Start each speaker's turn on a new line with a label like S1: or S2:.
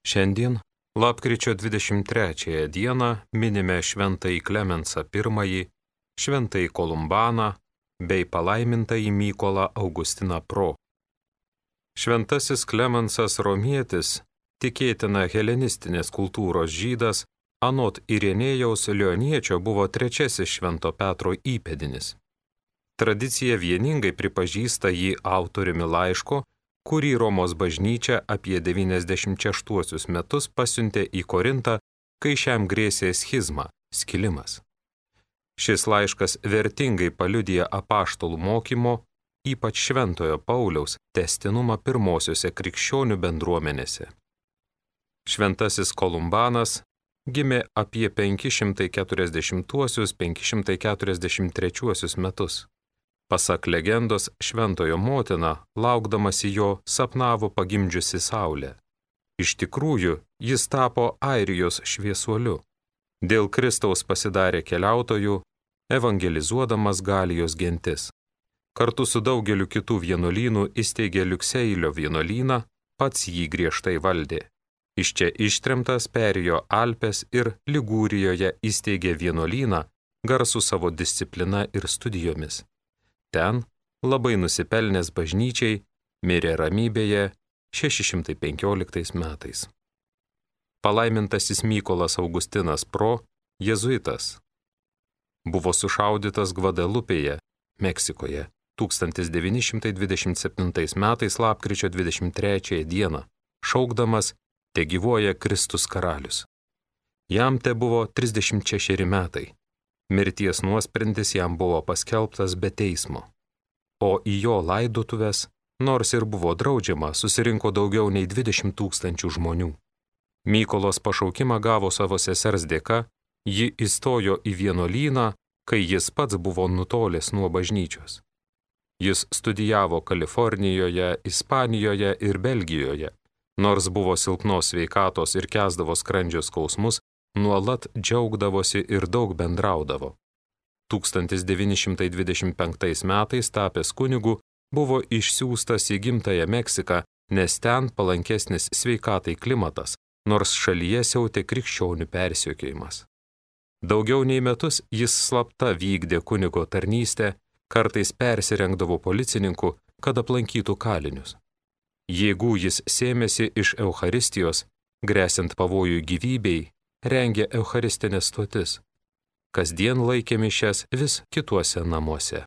S1: Šiandien, lapkričio 23 dieną, minime šventąjį Klemensą I, šventąjį Kolumbaną bei palaimintąjį Mykolą Augustiną Pro. Šventasis Klemensas Romietis, tikėtina helenistinės kultūros žydas, anot Irenėjaus Lioniečio buvo trečiasis Švento Petro įpėdinis. Tradicija vieningai pripažįsta jį autoriumi laiško, kurį Romos bažnyčia apie 96 metus pasiuntė į Korintą, kai šiam grėsė schizma, skilimas. Šis laiškas vertingai paliudija apaštalų mokymo, ypač Šventojo Pauliaus, tęstinumą pirmosiose krikščionių bendruomenėse. Šventasis Kolumbanas gimė apie 540-543 metus. Pasak legendos, šventojo motina, laukdamasi jo, sapnavo pagimdžiusi saulę. Iš tikrųjų, jis tapo Airijos šviesuoliu. Dėl Kristaus pasidarė keliautojų, evangelizuodamas Galijos gentis. Kartu su daugeliu kitų vienuolynų įsteigė Liukseilio vienuolyną, pats jį griežtai valdė. Iš čia ištremtas perėjo Alpes ir Ligūrijoje įsteigė vienuolyną, garsų savo disciplina ir studijomis. Ten, labai nusipelnęs bažnyčiai, mirė ramybėje 615 metais. Palaimintasis Mykolas Augustinas Pro, jėzuitas, buvo sušaudytas Gvadelupėje, Meksikoje, 1927 metais lapkričio 23 dieną, šaukdamas "Tegyvuoja Kristus karalius". Jam te buvo 36 metai. Mirties nuosprendis jam buvo paskelbtas be teismo. O į jo laidotuves, nors ir buvo draudžiama, susirinko daugiau nei 20 000 žmonių. Mykolos pašaukimą gavo savo sesers dėka, ji įstojo į vienuolyną, kai jis pats buvo nutolęs nuo bažnyčios. Jis studijavo Kalifornijoje, Ispanijoje ir Belgijoje, nors buvo silpnos sveikatos ir kęsdavo skrandžio skausmus, nuolat džiaugdavosi ir daug bendraudavo. 1925 metais tapęs kunigu buvo išsiųstas į gimtąją Meksiką, nes ten palankesnis sveikatai klimatas, nors šalyje siautė krikščionių persekiojimas. Daugiau nei metus jis slapta vykdė kunigo tarnystę, kartais persirengdavo policininku, kad aplankytų kalinius. Jėgų jis sėmėsi iš Eucharistijos, gresiant pavojui gyvybei, rengė eucharistinės stotis. Kasdien laikė mišias vis kituose namuose.